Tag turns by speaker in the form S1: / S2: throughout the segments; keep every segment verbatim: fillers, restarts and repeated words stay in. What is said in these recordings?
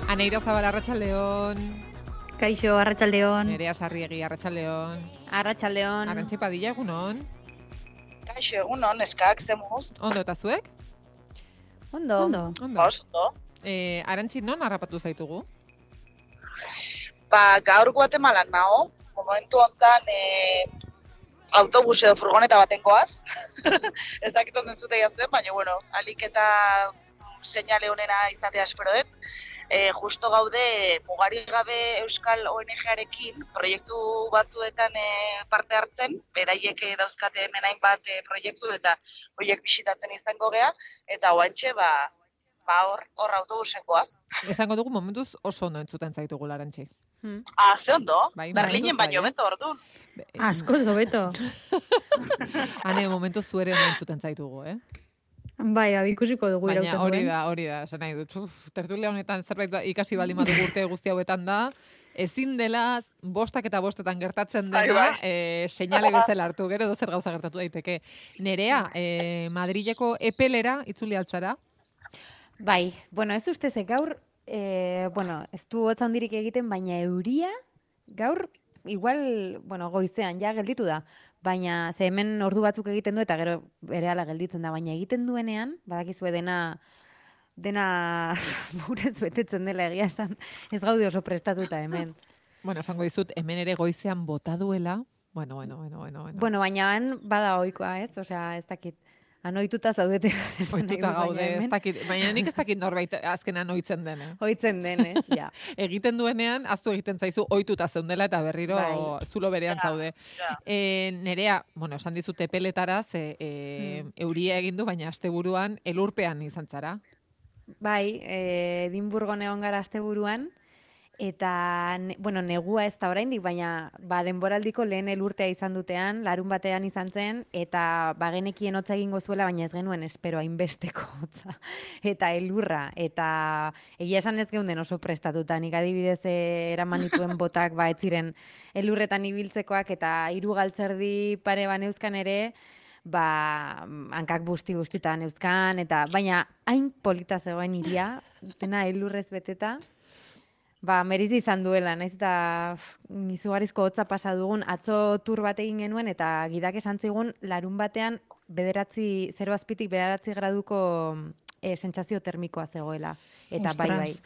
S1: Aneira Zabal, Arratsaldeon.
S2: Kaixo, Arratsaldeon.
S1: Nerea Sarriegi, Arratsaldeon.
S3: Arratsaldeon.
S1: Arantxe Padilla, egunon.
S4: Kaixo, egunon, eskak, zemuz.
S1: Ondo eta zuek?
S3: Ondo.
S2: Ondo.
S1: Ondo.
S4: Oso, ondo.
S1: Eh, Arantxi, non harrapatu zaitugu?
S4: Ba, gaur Guatemalan nago, momentu hontan e, autobus edo furgoneta baten goaz. Ez dakit ondo entzutea zuen, baina, bueno, alik eta seinale honena izatea espero dut. E, justo gaude mugari gabe Euskal O N G-arekin proiektu batzuetan e, parte hartzen, beraiek e, dauzkate hemen hainbat e, proiektu eta horiek bisitatzen izango gea, eta oantxe, ba, ba hor, hor autobusen goaz.
S1: Esango dugu momentuz oso ondo entzuten zaitugu, Arantxi.
S3: Hmm.
S4: Ah, ze ondo,
S1: Bai,
S4: Berlinen
S1: momentuz
S4: baino
S1: bai, eh?
S4: beto orduan.
S2: Asko zobeto.
S1: Hane, momentuz zuere ondo entzuten zaitugu, eh?
S2: Bai, abikusiko dugu
S1: Baina
S2: irauten
S1: hori
S2: duen.
S1: da, hori da, esan nahi dut. Uf, tertulia honetan zerbait da- ikasi bali madu urte guzti hauetan da, ezin dela bostak eta bostetan gertatzen
S4: Bai,
S1: dena,
S4: bai.
S1: e, seinale bezala hartu, gero dozer gauza gertatu daiteke. Nerea, e, Madrileko epelera itzuli altzara?
S3: Bai, bueno, ez ustez, gaur, eh, bueno, ez du hotz handirik egiten, baina euria, gaur, igual, bueno, goizean, ja gelditu da. Baina, ze hemen ordu batzuk egiten du, eta gero berehala gelditzen da, baina egiten duenean, badakizue dena, dena burez betetzen dela egia esan, ez gaude oso prestatuta hemen.
S1: Bueno, esango dizut, hemen ere goizean bota duela, bueno, bueno, bueno, bueno, bueno.
S3: Bueno, baina han bada ohikoa, ez? Osea, ez dakit. Anoituta zaudete. esan nahi
S1: Ohituta
S3: dut, baina
S1: gaude, ez
S3: hemen
S1: dakit, baina nik ez dakit norbait azkenan ohitzen dena.
S3: Ohitzen denez, ja.
S1: Egiten duenean, aztu egiten zaizu, ohituta zeundela eta berriro
S3: Bai.
S1: zulo berean
S4: Ja,
S1: zaude.
S4: ja.
S1: E, nerea, bueno, esan dizut epeletara, ze e,
S3: Hmm.
S1: euria egin du, baina asteburuan elurpean izan zara.
S3: Bai, eh, Edimburgon egon gara asteburuan, eta, ne, bueno, negua ez da oraindik, baina ba, denboraldiko lehen elurtea izan dutean, larun batean izan zen, eta bagenekien hotza egingo zuela, baina ez genuen espero hainbesteko hotza. Eta elurra, eta egia esan ez geunden oso prestatuta, nik adibidez eh, eraman nituen botak ba ez ziren elurretan ibiltzekoak, eta hiru galtzerdi pare baneuzkan ere, ba, hankak busti-bustitan euskan, eta baina hain polita zegoen iria, dena elurrez beteta, ba, merizi izan duela, naiz eta pff, izugarrizko hotza pasa dugun, atzo tur bat egin genuen, eta gidak esan zigun, larun batean, bederatzi, zero azpitik bederatzi graduko e, sentsazio termikoa zegoela. Eta bai, bai,
S2: Ostras.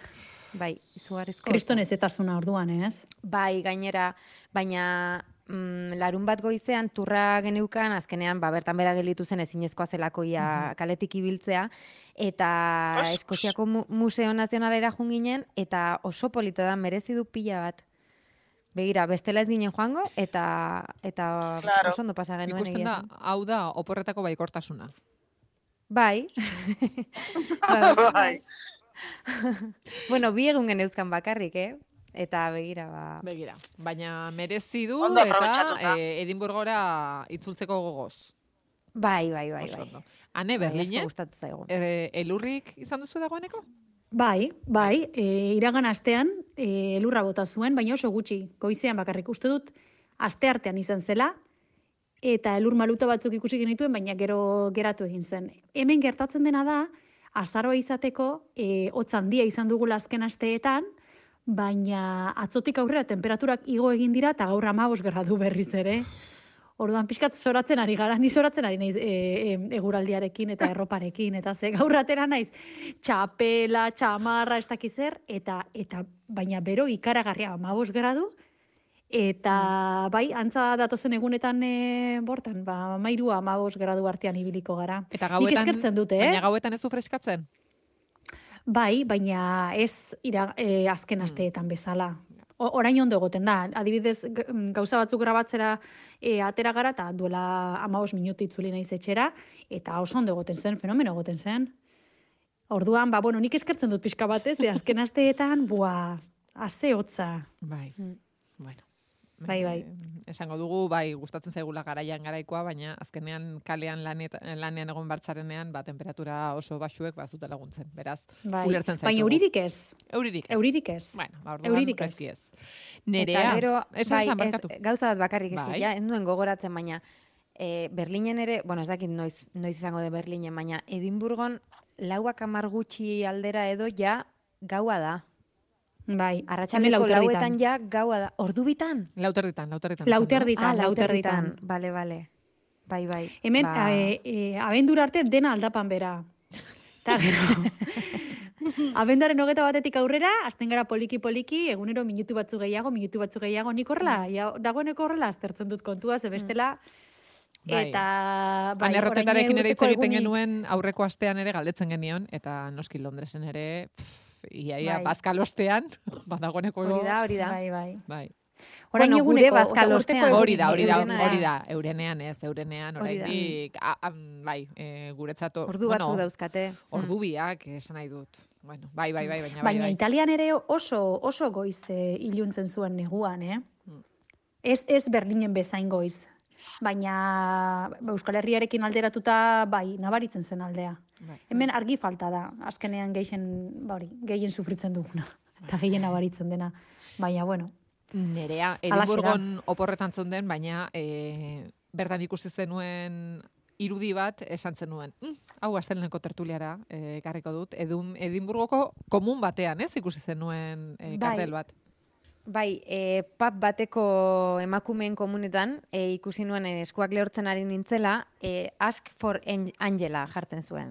S3: bai, izugarrizko
S2: Kriston
S3: hotza.
S2: ezetasuna orduan, ez?
S3: Bai, gainera, baina mm, larun bat goizean turra geneukan, azkenean, ba, bertan bera gelditu zen ezinezkoa zelako ia kaletik ibiltzea, eta
S4: Os-
S3: Eskoziako mu Museo Nazionalera joan ginen, eta oso polita da, merezi du pila bat. Begira, bestela ez ginen joango, eta, eta
S4: Claro.
S3: oso ondo pasa genuen
S1: Ikusten
S3: egia
S1: da,
S3: esan.
S1: hau da, oporretako baikortasuna.
S3: Bai. Ba,
S4: Bai.
S3: bueno, bi egun geneuzkan bakarrik, eh? Eta begira, ba...
S1: Begira, baina merezi du
S4: Ondo
S1: eta
S4: aprobetxatuta.
S1: e, Edinburgora itzultzeko gogoz.
S3: Bai, bai, bai,
S1: Oso
S3: bai.
S1: ondo. Hane,
S3: Bai, asko
S1: Berlinen,
S3: gustatu zaigu.
S1: e, elurrik izan duzu dagoeneko?
S2: Bai, bai, e, iragan astean e, elurra bota zuen, baina oso gutxi, goizean bakarrik uste dut, aste artean izan zela, eta elur maluta batzuk ikusi genituen, baina gero geratu egin zen. Hemen gertatzen dena da, azaroa izateko, e, hotz handia izan dugula azken asteetan, baina atzotik aurrera temperaturak igo egin dira, eta gaur hamabost gradu berriz ere. Orduan pixkat zoratzen ari gara, ni zoratzen ari naiz e, e, eguraldiarekin eta erroparekin, eta ze gaur atera naiz txapela, txamarra, ez dakiz zer, eta, eta baina bero ikaragarria hamabost gradu, eta bai, antza datozen egunetan e, bortan, ba, mairu hamabost gradu artean ibiliko gara.
S1: Eta
S2: Nik
S1: gauetan,
S2: eskertzen dute, eh?
S1: baina gauetan ez du freskatzen?
S2: Bai, baina ez ira, e, azken asteetan bezala. O, orain ondo egoten da. Adibidez, g- gauza batzuk grabatzera e, atera gara, eta duela hamabost minutu itzuli naiz etxera, eta oso ondo egoten zen, fenomeno egoten zen. Orduan, ba, bueno, nik eskertzen dut pixka batez, ze azken asteetan, bua, haze hotza.
S1: Bai,
S3: Mm.
S1: bueno.
S2: Bai, bai.
S1: Eh, esango dugu, bai, gustatzen zaigula garaian garaikoa, baina azkenean kalean lanet, lanean egon bartzarenean, ba, temperatura oso baxuek bazute laguntzen. Beraz,
S2: Bai.
S1: ulertzen zaitugu.
S2: Baina euririk ez.
S1: Euririk ez.
S2: Euririk ez.
S1: Bueno, ba, orduan,
S2: Euririk ez.
S1: gaizki ez. Nerea,
S3: Eta gero,
S1: esan
S3: bai,
S1: esan
S3: ez,
S1: barkatu.
S3: gauza bat bakarrik ez,
S1: Bai.
S3: ja, ez nuen gogoratzen, baina e, Berlinen ere, bueno, ez dakit noiz, noiz izango de Berlinen, baina Edimburgon lauak hamar gutxi aldera edo ja gaua da.
S2: Bai,
S3: Arratsaldeko
S2: hemen
S3: lauetan ja gaua da. Ordu bitan?
S1: Lauterditan, lauterditan.
S2: Lauterditan,
S3: Ah,
S2: lauterditan.
S3: lauterditan. Bale, bale. Bai, bai.
S2: Hemen,
S3: Ba...
S2: e, e, abendura arte dena aldapan bera. Eta gero, abenduaren hogeta batetik aurrera, azten gara poliki-poliki, egunero minutu batzu gehiago, minutu batzu gehiago, nik horrela, ja, dagoeneko horrela aztertzen dut kontua, ze bestela,
S1: Bai.
S2: eta bai,
S1: Han errotetarekin ere hitz
S2: urteko
S1: egiten
S2: egunik-
S1: genuen aurreko astean ere galdetzen genion, eta noski Londresen ere, pff, iaia
S2: Bai.
S1: bazkalostean, badagoeneko...
S3: Hori da, hori da.
S2: Bai, bai.
S1: Bai.
S2: Orain
S3: Bueno, gure
S2: eguneko, osea,
S3: bazkalostean.
S2: urteko
S1: Hori da, hori da,
S3: Eurena.
S1: hori da, eurenean ez, eurenean,
S3: Hori da.
S1: oraindik, a- am, bai, e, guretzat,
S3: Ordu
S1: bueno,
S3: batzu dauzkate.
S1: ordu biak, esan nahi dut. Bueno, bai, bai, bai, baina bai,
S2: Baina
S1: bai.
S2: Italian ere oso oso goiz e, iluntzen zuen neguan, eh?
S1: Mm.
S2: Ez, ez Berlinen bezain goiz. Baina ba, Euskal Herriarekin alderatuta, bai, nabaritzen zen aldea.
S1: Bai.
S2: Hemen argi falta da, azkenean gehien, ba hori, gehien sufritzen duguna. Eta gehien nabaritzen dena. Baina, bueno,
S1: Nerea,
S2: Halaxe da.
S1: Edimburgon oporretan zeunden, baina e, bertan ikusi zenuen irudi bat esan zenuen. Mm, hau asteleheneko tertuliara e, ekarriko dut. Edun, Edimburgoko komun batean, ez ikusi zenuen e,
S3: Bai.
S1: kartel bat.
S3: Bai, e, pub bateko emakumeen komunetan, e, ikusi nuen e, eskuak lehortzen ari nintzela, e, Ask for An- Angela jartzen zuen.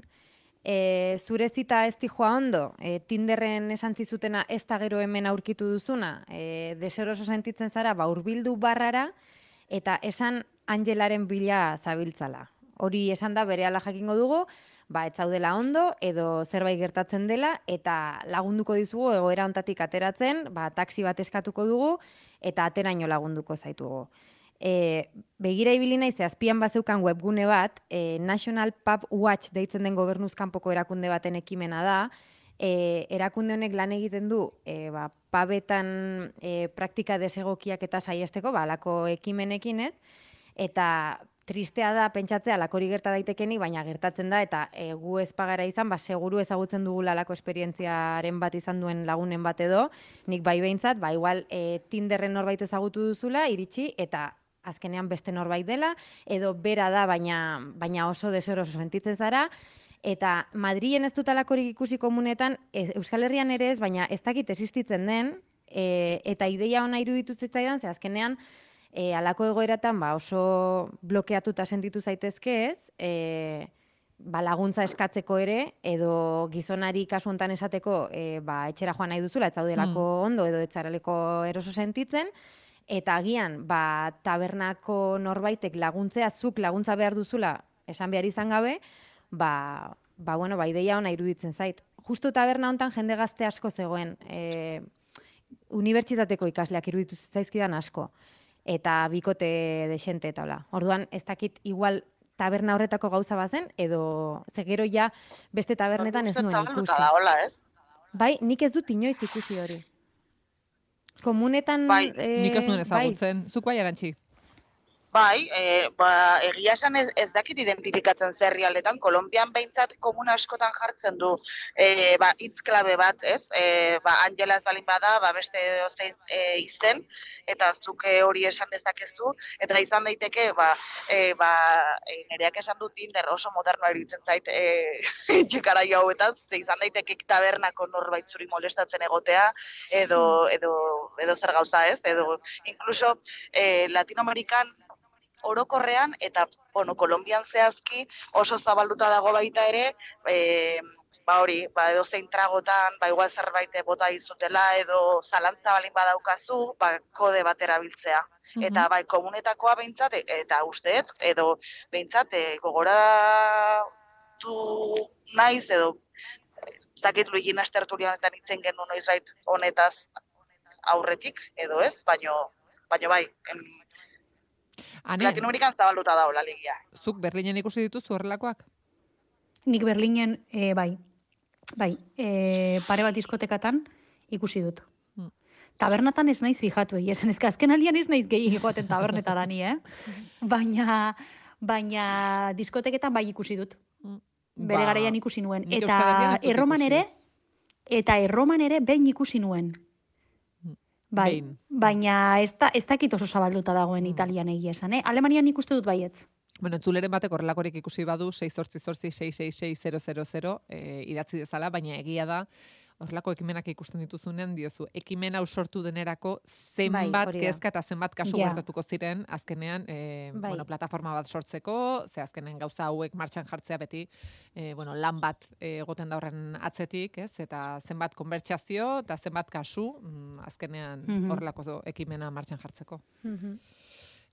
S3: E, zure zita ez joa ondo, e, Tinderren esan zizutena ez da gero hemen aurkitu duzuna, e, deseroso sentitzen zara, ba, hurbildu barrara, eta esan Angelaren bila zabiltzala. Hori esan da berehala jakingo dugu, ba, ez zaudela ondo, edo zerbait gertatzen dela, eta lagunduko dizugu egoera hontatik ateratzen, ba, taxi bat eskatuko dugu, eta ateraino lagunduko zaitugu. E, begira ibili naiz, ze azpian bazeukan webgune bat, e, National Pub Watch deitzen den gobernuzkanpoko erakunde baten ekimena da, e, erakunde honek lan egiten du, e, ba, pubetan e, praktika desegokiak eta saiesteko, ba, alako ekimenekin ez, eta tristea da pentsatzea lakori gerta daitekenik, baina gertatzen da, eta e, gu ez pagara izan, ba, seguru ezagutzen dugula lako esperientziaren bat izan duen lagunen bat edo, nik bai behintzat, ba, igual e, Tinderren norbait ezagutu duzula, iritsi, eta azkenean beste norbait dela, edo bera da, baina, baina oso deseroso sentitzen zara, eta Madrilen ez dut alakorik ikusi komunetan, ez, Euskal Herrian ere ez, baina ez dakit existitzen den, e, eta ideia ona iruditu zitzaidan, ze azkenean, E, alako egoeratan ba, oso blokeatuta sentitu zaitezke ez, e, ba, laguntza eskatzeko ere, edo gizonari kasu hontan esateko e, ba, etxera joan nahi duzula, ez zaudelako ondo, edo ez zareleko eroso sentitzen, eta agian ba, tabernako norbaitek laguntzea, zuk laguntza behar duzula, esan behar izan gabe, ba, ba, bueno, ba, ideia ona iruditzen zait. Justu taberna hontan jende gazte asko zegoen, e, unibertsitateko ikasleak iruditu zaizkidan asko, eta bikote desente eta hola. Orduan, ez dakit igual taberna horretako gauza bazen, edo zegero ja beste tabernetan ez nuen ikusi.
S4: Da, hola, ez?
S3: Bai, nik ez dut inoiz ikusi hori. Komunetan...
S4: Bai,
S3: eh,
S1: Nik ez nuen
S3: bai.
S1: ezagutzen. Zuk bai Arantxi?
S4: Bai, e, ba, egia esan ez, ez dakit identifikatzen zerrialdetan, Kolonbian behintzat komuna askotan jartzen du e, ba, hitz klabe bat, ez? E, ba, Angela ez balin bada, ba, beste dozein e, izen, eta zuke hori esan dezakezu, eta izan daiteke, ba, e, ba, e, nereak esan du Tinder oso modernoa iritzen zait e, txikara jo hauetan, ze izan daiteke tabernako norbait zuri molestatzen egotea, edo, edo, edo zer gauza ez, edo inkluso e, Latinoamerikan orokorrean, eta, bueno, Kolonbian zehazki oso zabalduta dago baita ere, e, ba hori, ba edo zein tragotan, ba igual zerbait bota dizutela, edo zalantza balin badaukazu, ba kode bat erabiltzea.
S1: Mhm.
S4: Eta bai, komunetakoa behintzat, eta usteet, edo behintzat, e, gogoratu naiz, edo ez dakit Luigina tertulia honetan itzen genuen noizbait honetaz aurretik, edo ez, baino, baino bai, em,
S1: Ane,
S4: Latinoamerikan zabalduta da hola ligia.
S1: zuk Berlinen ikusi dituzu horrelakoak?
S2: nik Berlinen, e, bai, bai, e, pare bat diskotekatan ikusi dut.
S1: Mm.
S2: Tabernatan ez naiz fijatu, egia esan, ezka azken aldian ez naiz gehi egoten tabernetara ni, eh? Baina, baina diskoteketan bai ikusi dut. Bere
S1: Ba,
S2: garaian ikusi nuen.
S1: nik Euskal Herrian
S2: Eta
S1: ez dut
S2: erroman
S1: ikusi.
S2: ere, eta erroman ere behin ikusi nuen. Bai,
S1: Behin.
S2: baina ez, da, ez dakit oso zabalduta dagoen Italian egia esan, eh? Alemanian ikuste dut baietz.
S1: Bueno, entzuleren batek horrelakorik ikusi badu, sei zortzi zortzi sei sei sei zero zero zero e, idatzi dezala, baina egia da, horrelako ekimenak ikusten dituzunean diozu, ekimen hau sortu denerako
S3: Bai,
S1: zenbat
S3: hori da.
S1: kezka eta zenbat kasu
S2: Ja.
S1: gertatuko ziren azkenean, e,
S3: Bai.
S1: bueno, plataforma bat sortzeko, ze azkenen gauza hauek martxan jartzea beti, e, bueno, lan bat e, egoten da horren atzetik, ez? Eta zenbat konbertsazio eta zenbat kasu, mm, azkenean
S2: Mhm.
S1: horrelako ekimena martxan jartzeko.
S3: Mhm.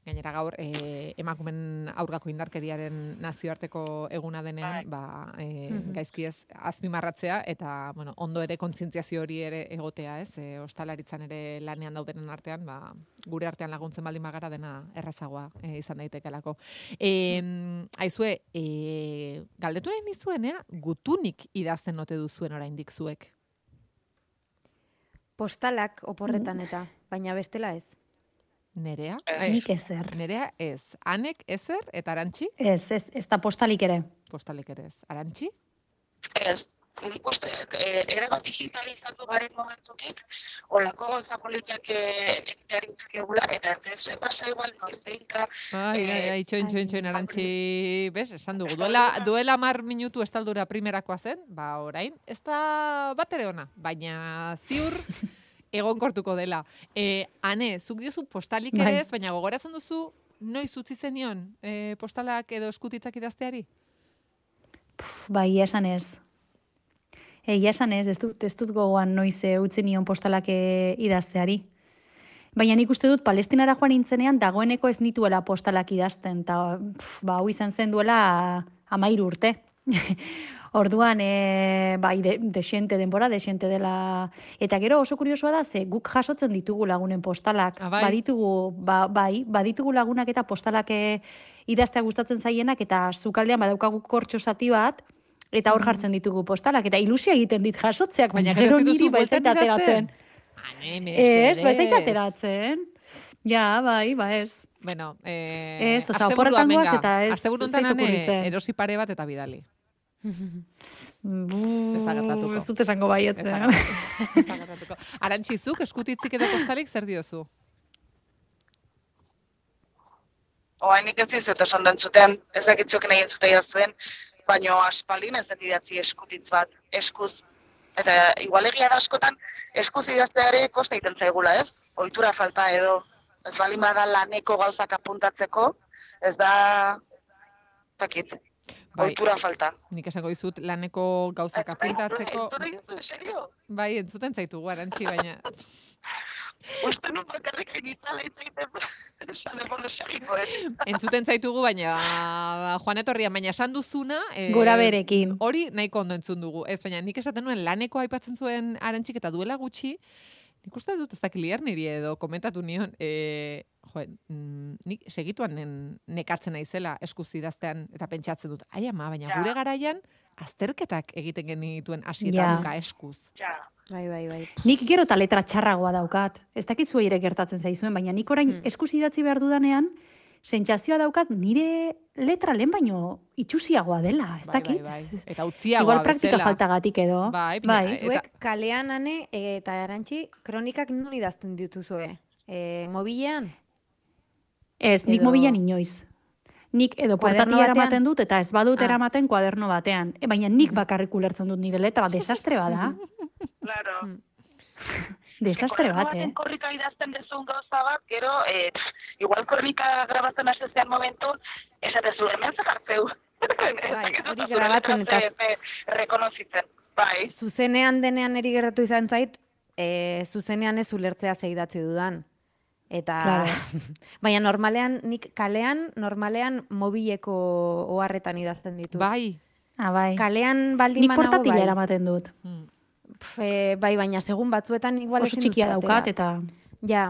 S1: Gainera gaur, e, emakumen aurkako indarkeriaren nazioarteko eguna denean, ba, e,
S3: Mhm.
S1: gaizki ez azpimarratzea, eta, bueno, ondo ere kontzientziazio hori ere egotea, ez? E, ostalaritzan ere lanean daudenen artean, ba, gure artean laguntzen baldin bagara dena errazagoa e, izan daitekelako. E, aizue, e, galdetu nahi nizuenea, gutunik idazten ote duzuen oraindik zuek?
S3: Postalak oporretan eta, baina bestela ez.
S1: Nerea?
S4: Ez.
S2: Nik ezer.
S1: Nerea ez. Anek ezer eta Arantxi?
S2: Ez, ez, ez da postalik ere.
S1: Postalik ere ez. Arantxi?
S4: Ez, nik uste, e, ere bat digitalizatu garen momentutik, olako gauza politiak egiteari utzikegula, eta ez ez pasa igual noizeinka.
S1: Ai,
S4: Eh,
S1: ai, ai, txoin, txoin, txoin,
S3: ai.
S1: Arantxi, bez, esan dugu. Duela, duela mar minutu estaldura primerakoa zen, ba, orain, ez da bat ere ona, baina ziur egonkortuko dela. E, ane, zuk diozu postalik ere
S2: Bai.
S1: ez, baina gogoratzen duzu, noiz utzi zenion e, postalak edo eskutitzak idazteari?
S2: Puf, bai, esan ez. Egia esan ez, ez dut, ez dut gogoan noiz eh, utzi nion postalak eh, idazteari. Baina nik uste dut Palestinara joan nintzenean dagoeneko ez nituela postalak idazten, eta pf, ba, hau izan zen duela amairu urte. Orduan, e, bai, de, desente denbora, desente dela. Eta gero oso kuriosoa da, ze guk jasotzen ditugu lagunen postalak.
S1: Ah, bai?
S2: Baditugu, ba, bai, baditugu lagunak eta postalak e, idaztea gustatzen zaienak, eta sukaldean badaukagu kortxo zati bat, eta hor jartzen ditugu postalak, eta ilusia egiten dit jasotzeak, baina,
S1: Baina gero ez
S2: gero
S1: dituzu
S2: niri baizait
S1: bueltan idazten?
S2: ateratzen.
S1: Ane,
S2: Ez,
S1: mesedez.
S2: baizait ateratzen. Ja, bai, ba ez.
S1: Bueno, eh,
S2: Ez, oza,
S1: asteburua,
S2: oporretan goaz
S1: venga.
S2: eta ez-
S1: Asteburu
S2: ez
S1: honetan,
S2: zait
S1: Ane,
S2: okurritzen.
S1: erosi pare bat eta bidali.
S2: Bu,
S1: da gertatuko.
S2: ez dut esango baietz,
S1: Ez da
S2: eh?
S1: gertatuko, ez da gertatuko. Arantxi, zuk eskutitzik edo postalik zer diozu?
S4: Oainik ez dizuet esan dentzuten, ez dakitzuk nahi entzutea zuen, baino aspaldin ez den idatzi eskutitz bat, eskuz. Eta igual egia da askotan, eskuz idaztea ere kosta egiten zaigula, ez? Ohitura falta edo, ez baldin bada laneko gauzak apuntatzeko, ez da, takit,
S1: Bai.
S4: ohitura falta.
S1: Nik esango dizut laneko gauzak apuntatzeko...
S4: Entzun egin zuen, serio?
S1: Bai, entzuten zaitugu, Arantxi, baina...
S4: Uste nun bakarrik egitala egiten, esan ebono segiko, ez?
S1: Entzuten zaitugu, baina Juan Etorria, baina esan duzuna... eh,
S2: Gora berekin.
S1: Hori nahiko ondo entzun dugu. Ez, baina nik esaten nuen laneko aipatzen zuen Arantxik eta duela gutxi, nik uste dut ez dakilier niri edo komentatu nion, e, jo, mm, nik segituan nen, nekatzen naizela eskuz idaztean eta pentsatzen dut, ai ama, baina
S4: Ja.
S1: gure garaian azterketak egiten genituen hasi
S2: Ja.
S1: eta buka eskuz.
S4: Ja.
S3: Bai, bai, bai.
S2: Nik gero eta letra txarragoa daukat. Ez dakit zuei ere gertatzen zaizuen, baina nik orain
S3: Hmm.
S2: eskuz idatzi behar dudanean, sentsazioa daukat nire letra lehen baino itxusiagoa dela, ez
S1: Bai,
S2: dakit?
S1: bai, bai. Eta utziagoa
S2: Igual praktika
S1: bezala.
S2: faltagatik edo.
S1: Bai, baina-
S2: bai.
S1: Eta-
S3: Zuek kalean ane eta Arantxi kronikak non idazten dituzue? E, mobilean?
S2: Ez, nik
S3: Edo-
S2: mobilan inoiz. Nik edo
S3: Kuaderno
S2: portatia
S3: batean?
S2: eramaten dut eta ez badut
S3: Ah.
S2: eramaten kuaderno batean. E, baina nik bakarrik ulertzen dut nire letra, desastre bada.
S5: Claro.
S3: Mm.
S2: Desastre bat,
S5: baten
S2: eh?
S5: korrika idazten dezun gauza bat, gero, eh, igual korrika grabatzen hasezean momentu, esatezu, hemen zakartzeu.
S3: Bai, hori grabatzen eta-
S5: Rekonozitzen, bai.
S3: Zuzenean denean eri gertatu izan zait, e, zuzenean ez ulertzea ze idatzi dudan. Eta,
S2: Claro.
S3: baina normalean, nik kalean, normalean mobileko oharretan idazten ditu.
S1: Bai.
S2: Ah, bai.
S3: Kalean baldin
S2: Nik
S3: banago,
S2: portatila
S3: bai.
S2: eramaten dut.
S1: Mm.
S3: Pf, e, bai, baina segun batzuetan igual
S2: Oso
S3: ezin duzu
S2: txikia daukat
S3: atera.
S2: eta...
S3: Ja.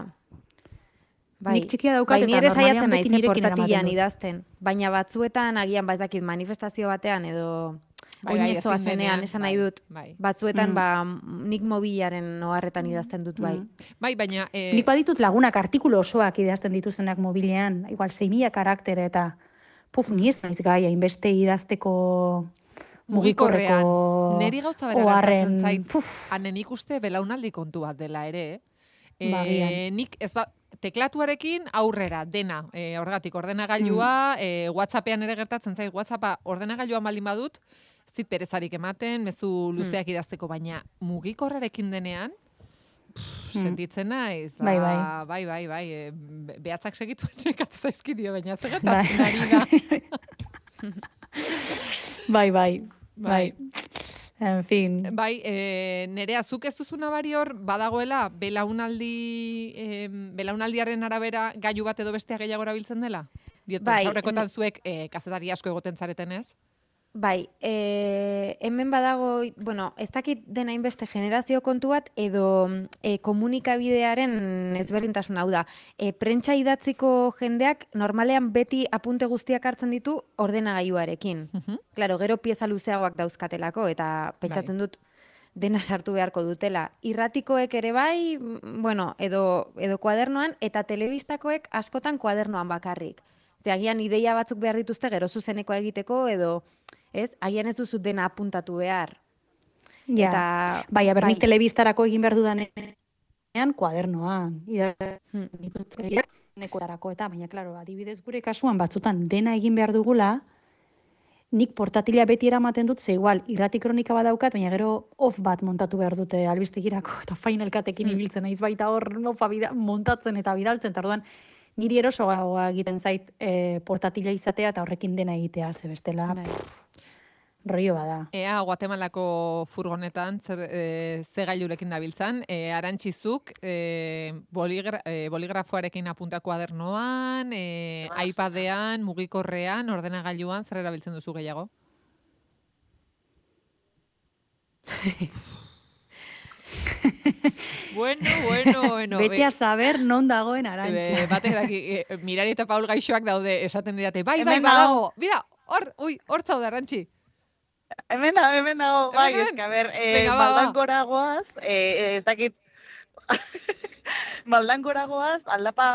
S3: Bai.
S2: Nik txikia daukat
S3: bai,
S2: eta
S3: ni ere
S2: normalean
S3: saiatzen
S2: beti
S3: naiz eh,
S2: nirekin
S3: portatilan
S2: eramaten dut.
S3: idazten. Baina batzuetan agian ba ez dakit manifestazio batean edo
S1: Bai,
S3: oin
S1: bai,
S3: ezoa
S1: ezin
S3: zenean
S1: denean,
S3: esan
S1: bai,
S3: nahi dut.
S1: bai.
S3: Batzuetan
S2: Mm.
S3: ba nik mobilaren oharretan idazten dut bai.
S2: Mm.
S1: Bai, baina... Eh,
S2: Nik baditut lagunak artikulu osoak idazten dituztenak mobilean, igual sei mila karaktere eta puf, ni ez naiz gai hainbeste idazteko
S1: mugikorrean,
S2: mugikorreko
S1: neri gauza bera
S2: oharren,
S1: gertatzen zait,
S2: puf,
S1: ane nik uste belaunaldi kontu bat dela ere, eh?
S2: Ba,
S1: E,
S2: agian.
S1: nik ez ba, teklatuarekin aurrera, dena, e, horregatik ordenagailua,
S2: Mm.
S1: e, WhatsAppean ere gertatzen zait, WhatsAppa ordenagailuan baldin badut, ez zit perezarik ematen, mezu luzeak idazteko, baina mugikorrarekin denean, pff,
S2: Hmm.
S1: sentitzen naiz, ba,
S2: Bai,
S1: bai, bai, bai, bai, e, be- behatzak segitu nekatu zaizkidio, baina
S2: Bai.
S1: zegatatzen ari da.
S2: Bai, bai,
S1: Bai.
S2: bai. En fin.
S1: Bai, e, nerea, zuk ez duzu nabari hor, badagoela, belaunaldi, e, belaunaldiaren arabera gailu bat edo bestea gehiago erabiltzen dela? Diot,
S3: Bai,
S1: pentsaurrekotan
S3: ne-
S1: zuek e, kazetari asko egoten zareten ez?
S3: Bai, e, hemen badago, bueno, ez dakit dena inbeste generazio kontu bat, edo e, komunikabidearen ezberdintasun hau da. E, prentsa idatziko jendeak normalean beti apunte guztiak hartzen ditu ordenagailuarekin.
S1: Mhm.
S3: Claro, gero pieza luzeagoak dauzkatelako, eta pentsatzen dut dena sartu beharko dutela. Irratikoek ere bai, mm, bueno, edo, edo kuadernoan, eta telebistakoek askotan kuadernoan bakarrik. Ze agian ideia batzuk behar dituzte gero zuzenekoa egiteko, edo, ez, agian ez duzu dena apuntatu behar.
S2: Ja.
S3: Eta,
S2: Bai, aber nik
S3: bai.
S2: telebistarako egin behar dudanean, kuadernoan.
S3: Hmm.
S2: Nekotarako eta, baina, klaro, adibidez gure kasuan batzutan dena egin behar dugula, nik portatila beti eramaten dut, ze igual, irrati kronika badaukat, baina gero off bat montatu behar dute albistegirako, eta Final Cutekin ibiltzen naiz baita hor offa bida, montatzen eta bidaltzen, eta orduan niri erosoagoa egiten zait e, portatila izatea eta horrekin dena egitea, ze bestela,
S3: Bai.
S2: rollo bada.
S1: Ea, Guatemalako furgonetan, zer, e, ze gailurekin dabiltzan, e, arantxizuk, e, boligra, e, boligrafoarekin apunta kuadernoan, e, iPadean, mugikorrean, ordenagailuan, zer erabiltzen duzu gehiago? bueno, bueno, bueno.
S2: Bete a saber non dagoen Arantxa.
S1: E, batek daki, e, Mirari eta Paul gaixoak daude, esaten didate, bai, bai,
S5: Hemen
S1: badago, bida, hor, ui, hor zaude, Arantxi.
S5: Hemen nago, hemen nago, bai,
S1: Hemen,
S5: eske, a ber, eh,
S1: venga, ba, ba.
S5: Maldankora goaz, eh, ez dakit, Maldankora goaz, aldapa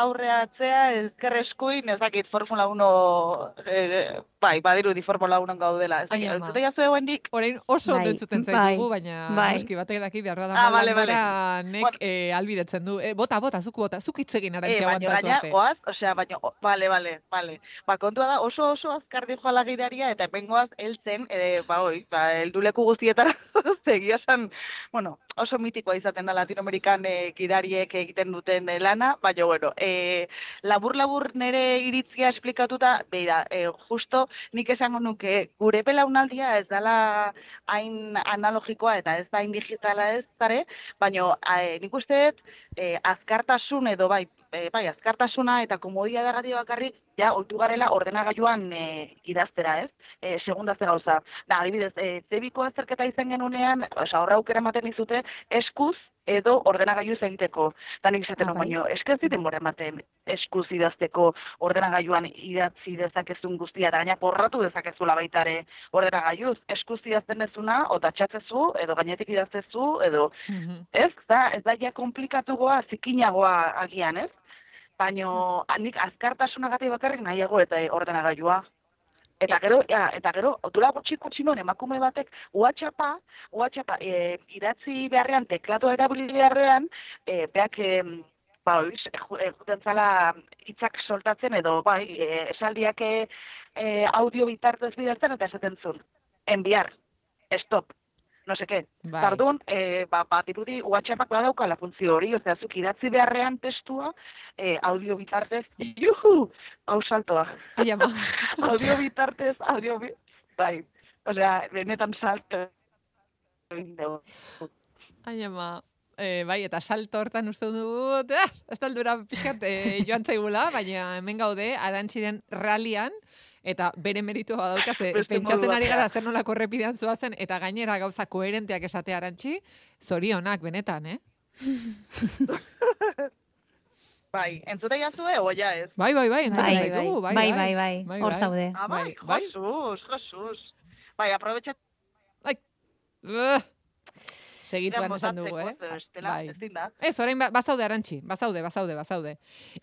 S5: aurreatzea, ezker eskuin, ez dakit, Formula uno, eh, bai, badirudi Formula uno gaudela. Ez
S1: Ai,
S5: dakit,
S1: ama.
S5: entzute jazu egoendik?
S1: Orain oso ondo
S3: Bai,
S1: entzuten
S2: bai,
S1: zaitugu, baina
S2: bai.
S1: noski batek daki behar da
S5: Ah, bale, bale.
S1: Maldangoranek
S5: Bueno.
S1: eh, albidetzen du. Eh, bota, bota, zuk bota, zuk hitz egin
S5: Eh,
S1: Arantxa
S5: baina
S1: aguantatu
S5: gaina,
S1: arte.
S5: goaz, osea, baina, o, bale, bale, bale. Ba, kontua da, oso oso azkar dijoala gidaria, eta bengoaz heltzen, eh, ba, oi, ba, helduleku guztietara, zegia esan, bueno, oso mitikoa izaten da Latinoamerikan eh, gidariek egiten duten eh, lana, baina, bueno, eh, labur-labur nere iritzia esplikatuta, beira, eh, justo nik esango nuke, gure belaunaldia ez dela hain analogikoa eta ez da hain digitala ez zare, baina eh, nik uste dut, eh, azkartasun edo bai, eh, bai, azkartasuna eta komodia dagatik bakarrik, ja, oitu garela ordenagailuan eh, idaztera, ez? Eh, segunda ze gauza. Da, adibidez, eh, zebiko azterketa izan genunean, oza, horra aukera ematen izute, eskuz edo ordenagailu egiteko. Da nik izaten,
S3: Ah,
S5: ah,
S3: bai.
S5: baino, eskaz denbora ematen eskuz idazteko ordenagailuan idatzi dezakezun guztia, eta gaina porratu dezakezula baitare ordenagailuz. Eskuz idazten dezuna, o tatxatzezu, edo gainetik idaztezu, edo,
S1: Mhm.
S5: ez? Da, ez da ja komplikatugoa, zikinagoa agian, ez? Baino, nik azkartasunagatik bakarrik nahiago eta ordenagailua. Eta gero, ja, eta gero, dula gutxi gutxi non, emakume batek, WhatsAppa, WhatsAppa, e, idatzi beharrean, teklatua erabili beharrean, e, beak, e, ba, oiz, juten zala hitzak soltatzen, edo, bai, e, esaldiak e, e, audio bitartez bidaltzen, eta esaten zuen, enviar, stop, no seke.
S1: Bai.
S5: Tardun, e, ba, bat irudi WhatsAppak badaukala funtzio hori, osea, zuk idatzi beharrean testua, e, audio bitartez, juhu, hau saltoa.
S1: Ai, ama.
S5: audio bitartez, audio bi... Bai, osea, benetan salto. egin dugu.
S1: Ai, ama. Eh, bai, eta salto hortan uste dut, eh, ez da aldura pixkat eh, joan zaigula, baina hemen gaude, Arantxiren ralian, eta bere meritua badaukaz, eh,
S5: Beste
S1: pentsatzen
S5: modu
S1: ari
S5: batean.
S1: gara zer nolako errepidean zoazen, eta gainera gauza koherenteak esatea Arantxi, zorionak, benetan, eh?
S5: Bai, entzute jazue, oia ez?
S1: Bai, bai, bai, entzuten
S2: Bai,
S1: zaitugu, bai,
S2: bai, bai, bai,
S1: Bai,
S2: hor
S1: bai.
S2: zaude.
S5: Ah, bai,
S1: Bai, bai.
S5: Jesus, Jesus. Bai, aprobetxat
S1: Uh, segituan esan dugu, eh?
S5: Estela,
S1: Bai.
S5: ezin da.
S1: Ez, orain ba- bazaude Arantxi, bazaude, bazaude, bazaude.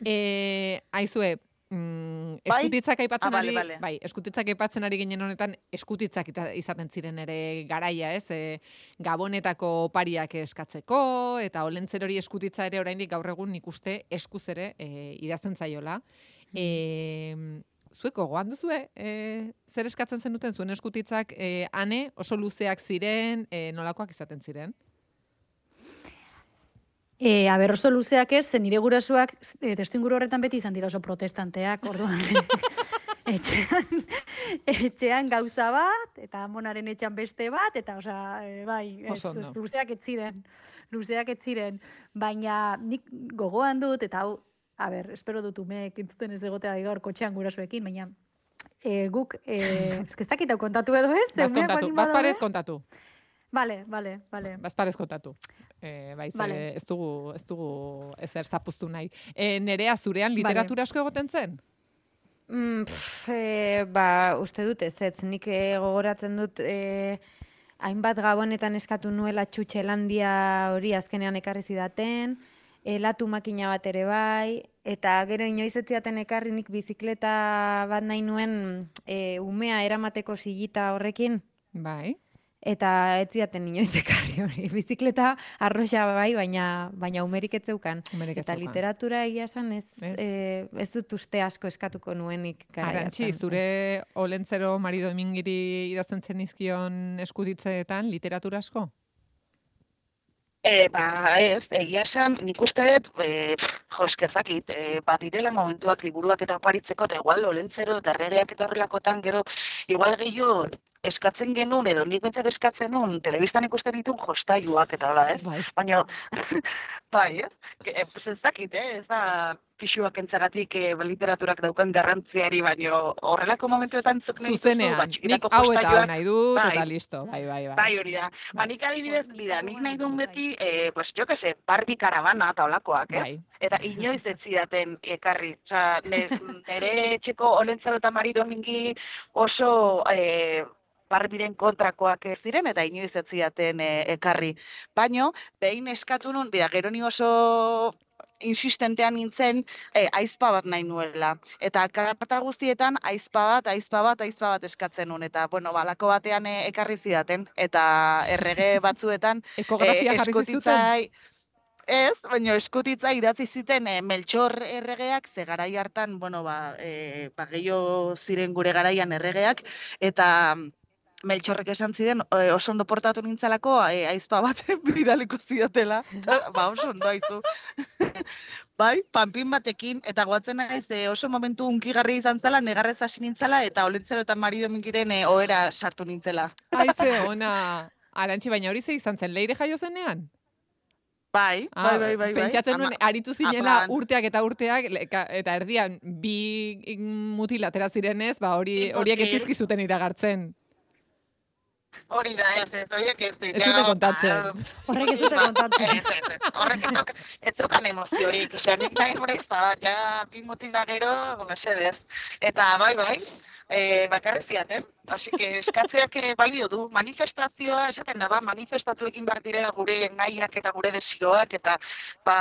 S1: Eh, aizue, mm,
S5: Bai?
S1: eskutitzak aipatzen
S5: Ah, bale,
S1: ari,
S5: bale.
S1: bai, eskutitzak aipatzen ari ginen honetan, eskutitzak ita- izaten ziren ere garaia, ez? E, Gabonetako opariak eskatzeko, eta olentzer hori eskutitza ere oraindik gaur egun nik uste eskuz ere e, idazten zaiola. E, zueko gogoan duzue, e, zer eskatzen zenuten zuen eskutitzak, e, ane oso luzeak ziren, e, nolakoak izaten ziren?
S2: E, aber oso luzeak ez, zen nire gurasoak e, testuinguru horretan beti izan dira oso protestanteak, orduan. etxean, etxean gauza bat, eta amonaren etxean beste bat, eta osea, e, bai, ez,
S1: Oso ondo.
S2: ez, luzeak ez ziren, luzeak ez ziren, baina nik gogoan dut, eta hau, a ber, espero dut umeek entzuten ez egotea gaur kotxean gurasoekin, baina e, guk, e, ez ez dakit hau kontatu edo ez?
S1: Baz
S2: umeak
S1: kontatu,
S2: baldin
S1: baz
S2: badaude?
S1: parez kontatu.
S2: Vale, vale, vale.
S1: Bazparez kontatu. E, bai, ze,
S2: Vale.
S1: ez dugu, ez dugu ezer zapuztu nahi. E, nerea zurean literatura asko egoten zen?
S3: Mm, pff, e, ba, uste dut ez, ez, nik e, gogoratzen dut e, hainbat gabonetan eskatu nuela txutxelandia hori azkenean ekarri zidaten, e, latu makina bat ere bai, eta gero inoiz ez zidaten ekarri nik bizikleta bat nahi nuen e, umea eramateko silita horrekin,
S1: Bai.
S3: eta ez zidaten inoiz ekarri hori. Bizikleta arroxa bai, baina, baina umerik ez zeukan.
S1: Umerik ez
S3: Eta
S1: zeukan.
S3: literatura egia esan ez,
S1: Ez.
S3: e, ez dut uste asko eskatuko nuenik garai
S1: Arantxi,
S3: hartan.
S1: zure Olentzero Mari Domingiri idazten zenizkion eskutitzeetan literatura asko?
S4: E, ba, ez, egia esan, nik uste dut, e, jo, eskezakit, e, bat direla momentuak liburuak eta oparitzeko, eta igual Olentzero eta erregeak eta horrelakotan, gero, igual gehiago eskatzen genuen, edo nik bentsat eskatzen nuen, telebistan ikusten ditun jostailuak eta hola, ez?
S1: Bai.
S4: Baina,
S5: Bai, ez? Que, eh, pues ez dakit, eh? Ez da pixuak entzaratik eh, literaturak daukan garrantziari, baino horrelako momentuetan zuk nahi dituzu,
S1: Zuzenean,
S5: ba,
S1: nik
S5: txikitako
S1: hau eta hau
S5: postailuak-
S1: nahi dut,
S5: Bai.
S1: eta listo. Bai, bai, bai.
S5: Bai, hori da. Ba, nik adibidez, bida, nik nahi duen beti, eh, pues, jo que se, Barbie Caravana eta olakoak, eh?
S1: Bai.
S5: Eta inoiz ez zidaten ekarri. Osea, nire etxeko Olentzero eta Mari Domingi oso eh, Barbiren kontrakoak ez ziren, eta inoiz ez zidaten eh, ekarri. Baino, behin eskatu nun, bida, gero ni oso insistentean nintzen, eh, aizpa bat nahi nuela. Eta karta guztietan aizpa bat, aizpa bat, aizpa bat eskatzen nun. Eta, bueno, balako batean eh, ekarri zidaten. Eta errege batzuetan,
S1: Ekografia
S5: eh,
S1: jarri zizuten?
S5: eskutitzai- Ez, baina eskutitza idatzi ziten e, Meltxor erregeak, ze garai hartan, bueno, ba, e, ba gehiago ziren gure garaian erregeak, eta Meltxorrek esan ziren e, oso ondo portatu nintzalako e, aizpa bat bidaliko zidatela, eta, ba oso ondo aizu. Bai, panpin batekin, eta goatzen naiz e, oso momentu unkigarri izan zela, negarrez hasi nintzela, eta Olentzero eta Mari Domingiren e, ohera sartu nintzela.
S1: Aize, ona. Arantxi, baina hori ze izan zen, leire jaio zenean?
S5: Bai,
S1: Ah,
S5: bai, bai, bai. bai.
S1: Pentsatzen nuen,
S5: Ama-
S1: aritu zinela
S5: apan.
S1: urteak eta urteak, le- ka- eta erdian bi mutil atera zirenez, ba hori
S5: Bi
S1: horiek
S5: mutil.
S1: etzizkizuten iragartzen.
S5: Hori da, ez, ez, horiek ez.
S1: Ez zuten kontatzen.
S2: Horrek ez dute kontatzen.
S5: Ez, ez, ez. Horrek ez duk- ez zukan emoziorik. Osea, nik nahi nure izan, ja, bi mutil da gero, mesedez. Eta, bai, bai, e, bakarri ziaten. Así que eskatzeak eh, balio du. Manifestazioa, esaten da, ba, manifestatuekin behar direla gure nahiak eta gure desioak, eta, ba,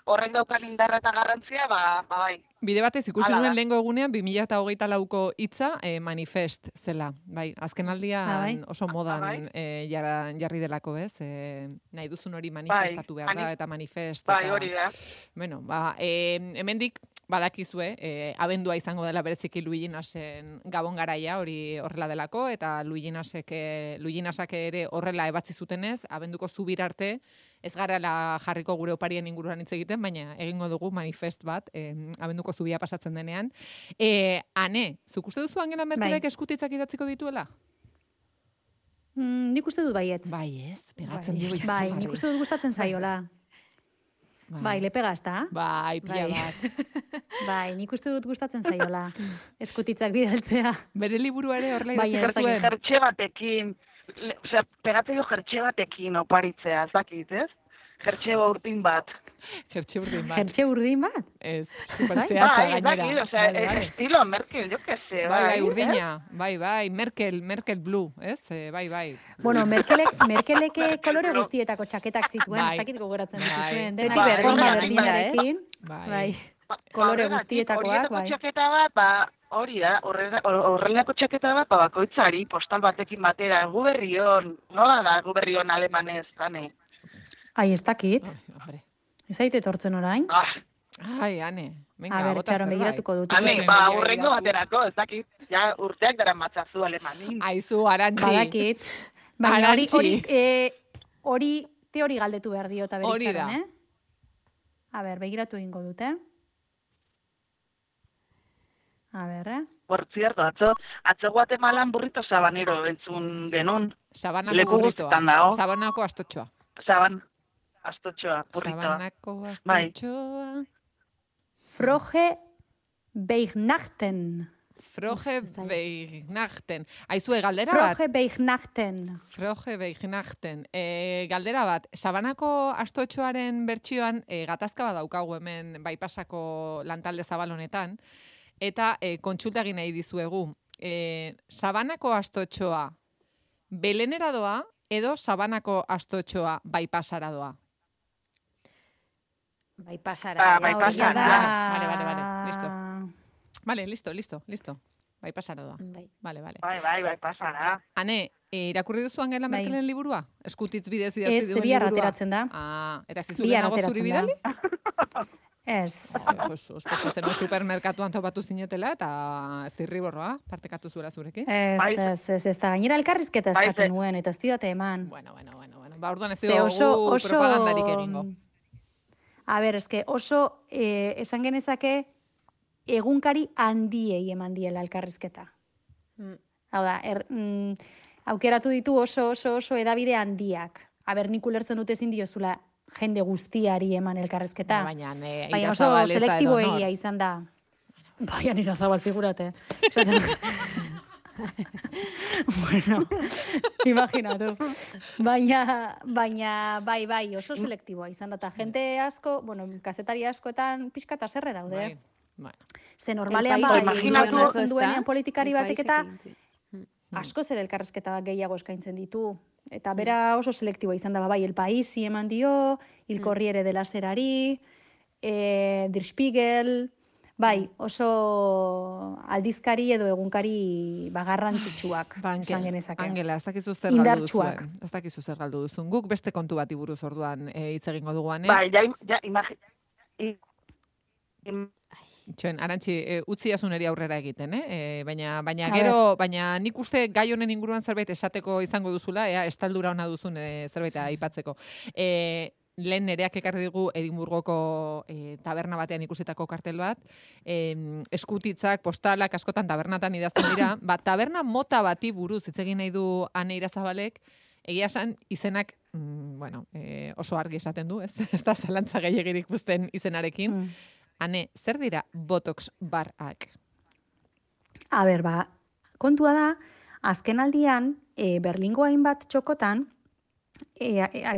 S5: horrek daukan indarra eta garrantzia, ba, ba bai.
S1: Bide batez ikusi
S5: Hala da.
S1: nuen lehengo egunean bi mila hogeita lauko hitza eh, manifest zela. Bai, azken aldian
S2: Ah, bai.
S1: oso modan
S5: bai.
S1: eh, jara, jarri delako, ez? Eh, nahi duzun hori manifestatu behar da,
S5: mani-
S1: eta manifest.
S5: Bai,
S1: eta,
S5: hori da.
S1: Bueno, ba, eh, hemendik badakizue, eh, abendua izango dela bereziki Luiginasen gabon garaia, hori horrela delako, eta Luiginasek, eh, Luiginasak ere horrela ebatzi zutenez, abenduko zubir arte, ez garela jarriko gure oparien inguruan hitz egiten, baina egingo dugu manifest bat, eh, abenduko zubia pasatzen denean. Eh, ane, zuk uste duzu Angela Merkelek
S2: Bai.
S1: eskutitzak idatziko dituela?
S2: Mm, nik uste dut baietz.
S1: Bai, ez, pegatzen
S3: Bai.
S1: dio izugarri.
S2: Bai, nik uste dut gustatzen zaiola. Bai, le pega ezta?
S1: Bai, pila
S3: Bai.
S1: bat.
S2: Bai, nik uste dut gustatzen zaiola. Eskutitzak bidaltzea.
S1: Bere liburu ere horrela
S2: Bai,
S1: idatziko
S2: ez dakit.
S1: zuen.
S5: Jertxe batekin, le- osea, pegatzen jo jertxe batekin oparitzea, ez dakit, ez? Jertxe urtin bat.
S1: Jertxe urdin bat.
S2: Jertxe urdin bat?
S1: Ez, super
S2: Bai?
S1: zehatza
S5: Bai, ez
S1: gainera.
S5: dakit, osea,
S1: Vale,
S5: es
S1: vale.
S5: estilo Merkel, jo que se,
S1: Bai, bai,
S5: eh?
S1: urdina. Bai, bai, Merkel, Merkel Blue, ez? Eh, bai, bai.
S2: Bueno, Merkelek, Merkelek kolore guztietako txaketak zituen,
S1: Bai.
S2: ez dakit gogoratzen
S1: Bai.
S2: dituzuen.
S3: Beti
S2: Denak
S3: berdina,
S2: forma
S3: berdina,
S2: berdinarekin.
S1: Bai.
S3: Bai.
S5: Ba,
S2: Kolore
S5: horregatik,
S2: guztietakoak,
S5: horietako
S2: bai.
S5: txaketa bat, ba, hori da, horrela- horrelako txaketa bat, ba, bakoitzari, postal batekin batera, guberrion, nola da guberrion alemanez, zane?
S2: Ai, ez dakit.
S1: Ai, hombre.
S2: Ez aite etortzen orain.
S5: Ah,
S1: Ai, ane. Venga,
S2: A ber,
S1: bota
S2: txaron
S1: zerbait.
S2: begiratuko dut.
S5: Ane,
S1: Ikusi,
S5: ba,
S1: baina
S5: urrengo
S1: begiratu.
S5: baterako, ez dakit, ja urteak dara matzazu alemanin.
S1: Aizu, Arantxi.
S2: Badakit. Baina hori,
S1: Arantxi.
S2: hori, eh, hori, teori galdetu behar dio eta
S1: Hori
S2: beritxaron,
S1: da.
S2: eh? A ber, begiratu egingo dut, eh? A ber, eh?
S5: Por cierto, atzo, atzo Guatemalan burrito sabanero entzun genuen.
S1: Sabanako
S5: Leku
S1: burritoa.
S5: guztietan dago.
S1: Sabanako astotxoa.
S5: Saban, astotxoa, burritoa.
S1: Sabanako
S5: Bai.
S1: astotxoa.
S2: Froge Beignachten.
S1: Froge
S3: Ez zait.
S1: beignachten. Aizue, galdera bat.
S2: Froge Beignachten.
S1: Froge beignachten. E, galdera bat, Sabanako astotxoaren bertsioan e, gatazka bat daukagu hemen baipasako lantalde zabal honetan, eta e, kontsulta egin nahi dizuegu. E, Sabanako astotxoa Belenera doa edo Sabanako astotxoa baipasara doa?
S3: Bai pasara.
S5: Ba,
S3: eh,
S5: bai
S3: hori
S5: pasara.
S3: da.
S1: Vale, vale, vale, listo. Vale, listo, listo, listo. Baipasara doa.
S3: Bai.
S1: Vale, vale.
S5: Bai, bai, bai, pasara.
S1: Ane, e, irakurri duzu Angela
S2: Bai.
S1: Merkelen liburua? Eskutitz bidez idatzi
S2: Ez,
S1: duen
S2: bihar
S1: liburua?
S2: ateratzen da.
S1: Ah, eta ez dizu
S2: Bihar
S1: lehenago zuri
S2: ateratzen
S1: bidali?
S2: da. Ez.
S1: Ai, Jesus, pentsatzen nuen supermerkatuan topatu zinetela eta zirriborroa partekatu zuela zurekin.
S2: Ez,
S5: Bai.
S2: ez, ez, ez da gainera elkarrizketa
S5: Bai,
S2: eskatu
S5: ze-
S2: nuen, eta ez didate eman.
S1: Bueno, bueno, bueno, bueno. Ba, orduan ez
S2: Ze
S1: dugu
S2: oso, oso...
S1: propagandarik egingo.
S2: A ber, eske oso eh, esan genezake egunkari handiei eman diela elkarrizketa.
S3: Mm.
S2: Hau da, er, mm, aukeratu ditu oso, oso, oso edabide handiak. A ber, nik ulertzen dute ezin diozula jende guztiari eman elkarrizketa.
S1: Baina, ne,
S2: Baina oso
S1: Irazabal ez da
S2: selektibo
S1: edonor.
S2: egia izan da. Baina nira zabal, figurate. Esaten- bueno, imaginatu. Baina, baina, bai, bai, oso selektiboa izan da. Ta jente asko, bueno, kazetari askoetan pixka eta serre daude.
S1: Bai, bueno.
S2: Ze normalean
S3: El
S2: bai,
S3: país
S5: imaginatu-
S2: imaginatu duenean politikari
S3: El
S2: batek eta
S3: paisekin.
S2: asko zer elkarrezketa gehiago eskaintzen ditu. Eta bera oso selektiboa izan da, ba, bai, El Paisi eman dio, Il Corriere della Serari, eh, Der Spiegel, bai, oso aldizkari edo egunkari ba, garrantzitsuak,
S1: Ba,
S2: esan
S1: Angela,
S2: genezake.
S1: Angela, ez dakizu zer galdu
S2: Indartsuak.
S1: duzuen. Ez dakizu zer galdu duzun. Guk beste kontu bati buruz orduan eh, hitz egingo duguan, eh?
S5: Bai, ja, ja, imagi... I, im,
S1: Itxoen, Arantxi, e, utzi asuneri aurrera egiten, eh? E, baina, baina
S2: A
S1: gero, baina nik uste gai honen inguruan zerbait esateko izango duzula, ea, estaldura ona duzun e, zerbait aipatzeko. E, lehen nereak ekarri digu Edimburgoko e, taberna batean ikusitako kartel bat, e, eskutitzak, postalak, askotan tabernatan idazten dira, ba, taberna mota bati buruz hitz egin nahi du Ane Irazabalek, egia esan izenak, mm, bueno, e, oso argi esaten du, ez, ez da zalantza gehiagirik uzten izenarekin.
S2: Mm.
S1: Ane, zer dira botox barrak?
S2: A ber, ba, kontua da, azken aldian, e, Berlingo hainbat txokotan, e, e, a-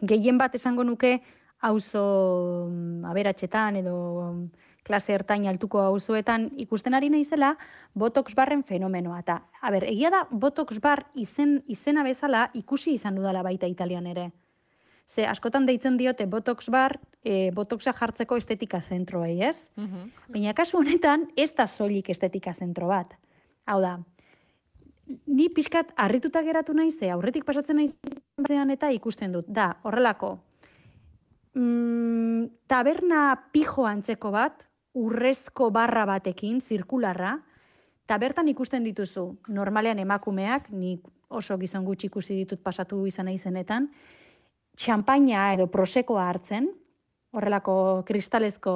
S2: gehien bat esango nuke auzo mm, aberatsetan edo mm, klase ertain altuko auzoetan ikusten ari naizela botox barren fenomenoa. Eta, a ber, egia da botox bar izen, izena bezala ikusi izan dudala baita Italian ere. Ze askotan deitzen diote botox bar, e, botoxa jartzeko estetika zentroei, ez? Baina kasu honetan ez da soilik estetika zentro bat. Hau da, ni pixkat harrituta geratu naiz, ze aurretik pasatzen naizean eta ikusten dut. Da, horrelako, mm, taberna pijo antzeko bat, urrezko barra batekin, zirkularra, eta bertan ikusten dituzu, normalean emakumeak, nik oso gizon gutxi ikusi ditut pasatu izan naizenetan, txampaina edo prosekoa hartzen, horrelako kristalezko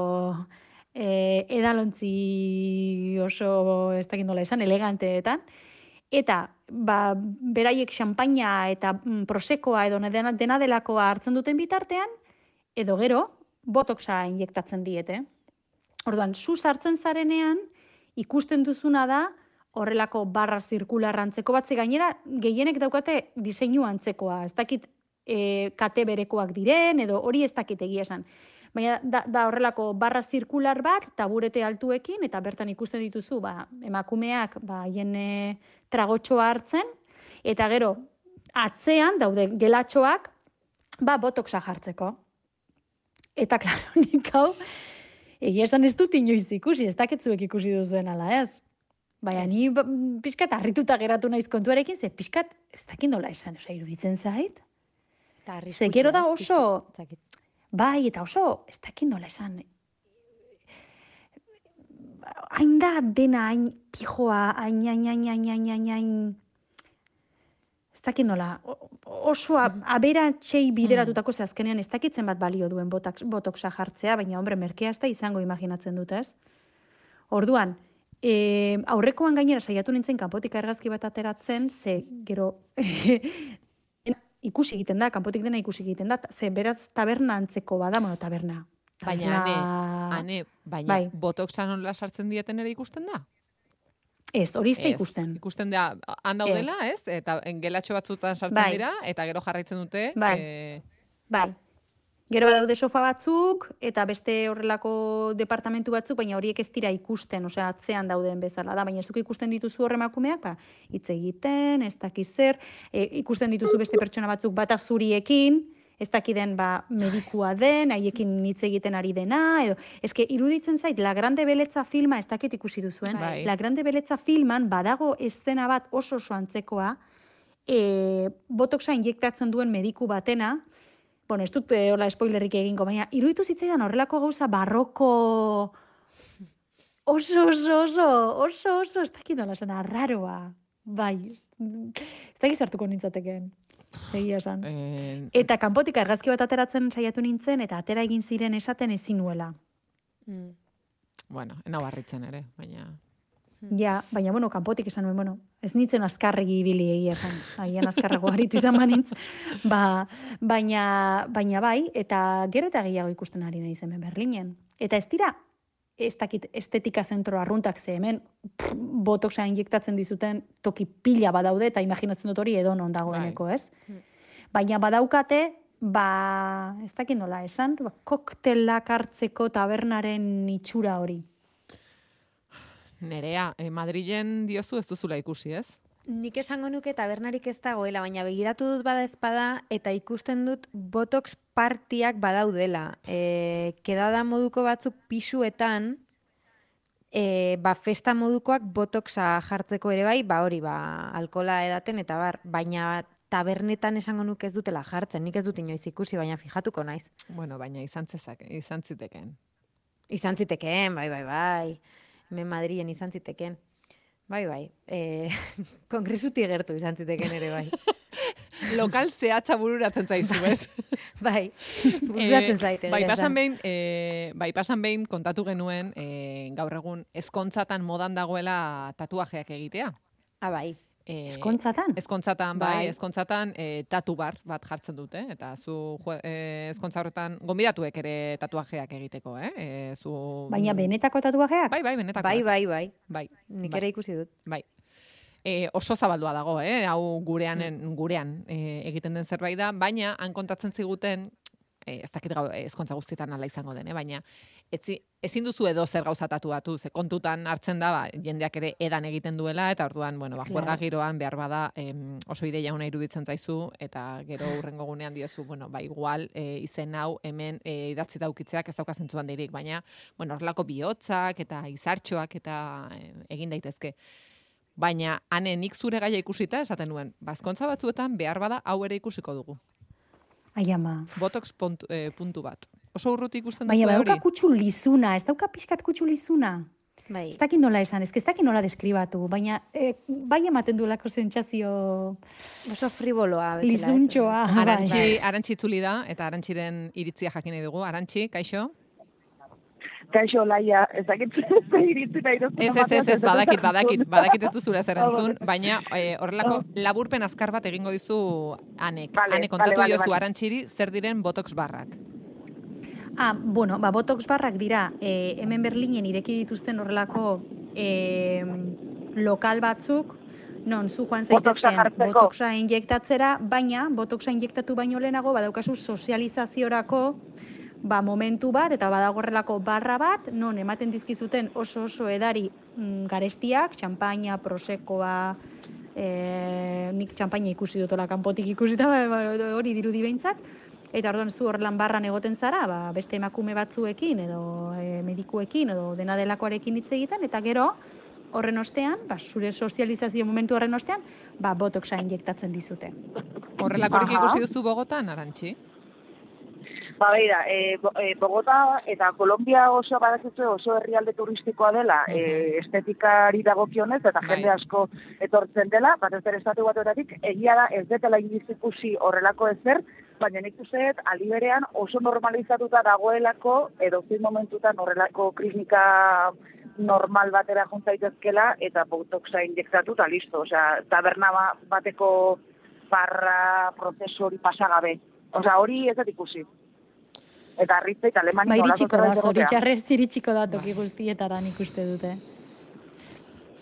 S2: e, edalontzi oso, ez dakit nola esan, eleganteetan, eta ba, beraiek xampaina eta mm, prosekoa edo dena, dena delakoa hartzen duten bitartean, edo gero, botoxa injektatzen diete. Orduan, zu sartzen zarenean, ikusten duzuna da, horrelako barra zirkularra antzeko bat, ze gainera gehienek daukate diseinu antzekoa, ez dakit e, kate berekoak diren, edo hori ez dakit egia esan. Baina da, da horrelako barra zirkular bat, taburete altuekin, eta bertan ikusten dituzu, ba, emakumeak ba, haien e, tragotxoa hartzen, eta gero, atzean daude gelatxoak, ba, botoxa jartzeko. Eta, klaro, nik hau, egia esan ez dut inoiz ikusi, ez dakitzuek ikusi duzuen ala ez. Baina ni ba, pixkat harrituta geratu naiz kontuarekin, ze pixkat ez dakit nola esan, oza, iruditzen zait.
S3: Eta
S2: Ze gero da
S3: arriskutsua, ez,
S2: oso-
S3: pixkat, ez dakit.
S2: Bai, eta oso, ez dakit nola esan, hain da dena, hain pijoa, hain, hain, hain, hain, hain, hain, hain, ez dakit nola, oso aberatxei bideratutako ze azkenean ez dakitzen bat balio duen botoxa jartzea, baina, hombre, merkea ez da izango imaginatzen dut, ez? Orduan, e, aurrekoan gainera saiatu nintzen kanpotik argazki bat ateratzen, ze gero ikusi egiten da, kanpotik dena ikusi egiten da, ze beraz taberna antzeko bada, bueno, taberna.
S1: Baina, ane, ane, baina, bai. Botoxa nola sartzen dieten ere ikusten da?
S2: Ez, hori izte ikusten.
S1: Ikusten da, handaudela, ez? Eta gelatxo batzutan sartzen bai. dira, eta gero jarraitzen dute.
S2: Bai, e... bai. Gero badaude sofa batzuk, eta beste horrelako departamentu batzuk, baina horiek ez dira ikusten, osea, atzean dauden bezala da, baina zuk ikusten dituzu horremakumeak, ba, hitz egiten, ez dakiz zer, e, ikusten dituzu beste pertsona batzuk bata zuriekin, ez dakiden ba, medikua den, haiekin hitz egiten ari dena, edo, eske iruditzen zait, La Grande Beletza filma, ez dakit ikusi duzuen,
S1: bai.
S2: La Grande Beletza filman badago eszena bat oso oso antzekoa, e, botoxa injektatzen duen mediku batena, bueno, ez dut e, hola spoilerrik egingo, baina iruditu zitzaidan horrelako gauza barroko oso, oso, oso, oso, oso, ez dakit nola zena, arraroa, bai, ez dakit sartuko nintzateken. Egia esan. Eh, eta kanpotik argazki bat ateratzen saiatu nintzen, eta atera egin ziren esaten ezin nuela.
S3: Mm.
S1: Bueno, ena barritzen ere, baina...
S2: Ja, baina, bueno, kanpotik esan nuen, bueno, ez nintzen azkarregi ibili egia esan, agian azkarrago haritu izan banintz, ba, baina, baina bai, eta gero eta gehiago ikusten ari nahi zen Berlinen. Eta ez dira, ez dakit estetika zentro arruntak ze hemen pff, botoxa injektatzen dizuten toki pila badaude, eta imaginatzen dut hori edo non dagoeneko, ez? Baina badaukate, ba, ez dakit nola esan, ba, koktelak hartzeko tabernaren itxura hori.
S1: Nerea, eh, Madrilen diozu ez duzula ikusi, ez?
S3: Nik esango nuke tabernarik ez dagoela, baina begiratu dut bada espada eta ikusten dut botox partiak badaudela. E, kedada moduko batzuk pisuetan, e, ba, festa modukoak botoxa jartzeko ere bai, ba hori, ba, alkola edaten eta bar, baina tabernetan esango nuke ez dutela jartzen, nik ez dut inoiz ikusi, baina fijatuko naiz.
S1: Bueno, baina izan zezak, izan ziteken.
S3: Izan ziteken, bai, bai, bai. Hemen Madrilen izan ziteken. Bai, bai. E, kongresuti gertu izan ziteken ere, bai.
S1: Lokal zehatza bururatzen zaizu, ez?
S3: Bai, bururatzen zaite.
S1: Bai, pasan behin, e, bai, pasan behin kontatu genuen, e, gaur egun ezkontzatan modan dagoela tatuajeak egitea.
S3: Ah, bai.
S2: E, ezkontzatan?
S1: Ezkontzatan, bai, bai ezkontzatan e, tatu bar bat jartzen dute, eta zu e, ezkontza horretan gonbidatuek ere tatuajeak egiteko, eh? E, zu...
S2: Baina benetako tatuajeak?
S1: Bai, bai, benetako.
S3: Bai, bai, bai.
S1: Bai.
S3: Nik
S1: bai.
S3: ere ikusi dut.
S1: Bai. E, oso zabaldua dago, eh? Hau gurean, gurean e, egiten den zerbait da, baina han kontatzen ziguten, e, ez dakit gau, ezkontza guztietan ala izango den, eh? Baina etzi, ezin duzu edo zer gauza tatuatu, ze kontutan hartzen da, ba, jendeak ere edan egiten duela, eta orduan, bueno, ba, juerga giroan behar bada em, oso ideia una iruditzen zaizu, eta gero hurrengo gunean diozu, bueno, ba, igual e, izen hau hemen e, idatzi daukitzeak ez dauka zentzuan dirik, baina, bueno, horrelako bihotzak eta izartxoak eta e, egin daitezke. Baina, hane nik zure gaia ikusita, esaten nuen, bazkontza batzuetan behar bada hau ere ikusiko dugu.
S2: Ai, ama.
S1: Botox puntu, eh, puntu bat. Oso urruti ikusten duzu
S2: hori. Baina,
S1: hori?
S2: badauka kutsu lizuna, ez dauka pixkat kutsu lizuna.
S3: Bai.
S2: Ez dakit nola esan, ez dakit nola deskribatu, baina eh, bai ematen duelako sentsazio...
S3: Oso friboloa.
S2: Lizuntxoa.
S1: Arantxi, arantxi itzuli da, eta arantxiren iritzia jakin nahi dugu. Arantxi, kaixo?
S5: Kaixo, Laia, ez dakit iritzi nahi dut.
S1: Ez, ez, ez, ez, badakit, badakit, badakit ez duzura zer entzun, baina eh, horrelako laburpen azkar bat egingo dizu Anek.
S5: Vale,
S1: Ane, kontatu
S5: vale, vale,
S1: diozu
S5: vale.
S1: arantxiri zer diren botox barrak.
S2: Ah, bueno, ba, botox barrak dira, eh, hemen Berlinen ireki dituzten horrelako eh, lokal batzuk, non, zu joan zaitezken botoxa injektatzera, baina botoxa injektatu baino lehenago, badaukazu sozializaziorako, ba, momentu bat, eta badagorrelako barra bat, non ematen dizkizuten oso oso edari mm, garestiak, txampaina, prosekoa, e, nik txampaina ikusi dutola kanpotik ikusita, hori dirudi behintzat, eta orduan zu horrelan barran egoten zara, ba, beste emakume batzuekin, edo e, medikuekin, edo dena delakoarekin hitz egiten, eta gero, horren ostean, ba, zure sozializazio momentu horren ostean, ba, botoxa injektatzen dizute.
S1: Horrelakorik ikusi duzu Bogotan, Arantxi?
S5: Ba, beira, e, e, Bogota eta Kolombia oso badakizu oso herrialde turistikoa dela, uh-huh. e, estetikari dagokionez eta jende bai. asko etortzen dela, batez ere estatu batuetatik, egia da ez detela inoiz ikusi horrelako ezer, baina nik uste dut aldi berean oso normalizatuta dagoelako edo zein momentutan horrelako klinika normal batera juntzaitezkela eta botoxa injektatu eta listo, osea, taberna bateko barra prozesu hori pasagabe. Osea, hori ez dut ikusi. Eta arritza eta Alemania...
S2: Ba, iritsiko da, zoritxarrez iritsiko da toki guztietara nik uste dute.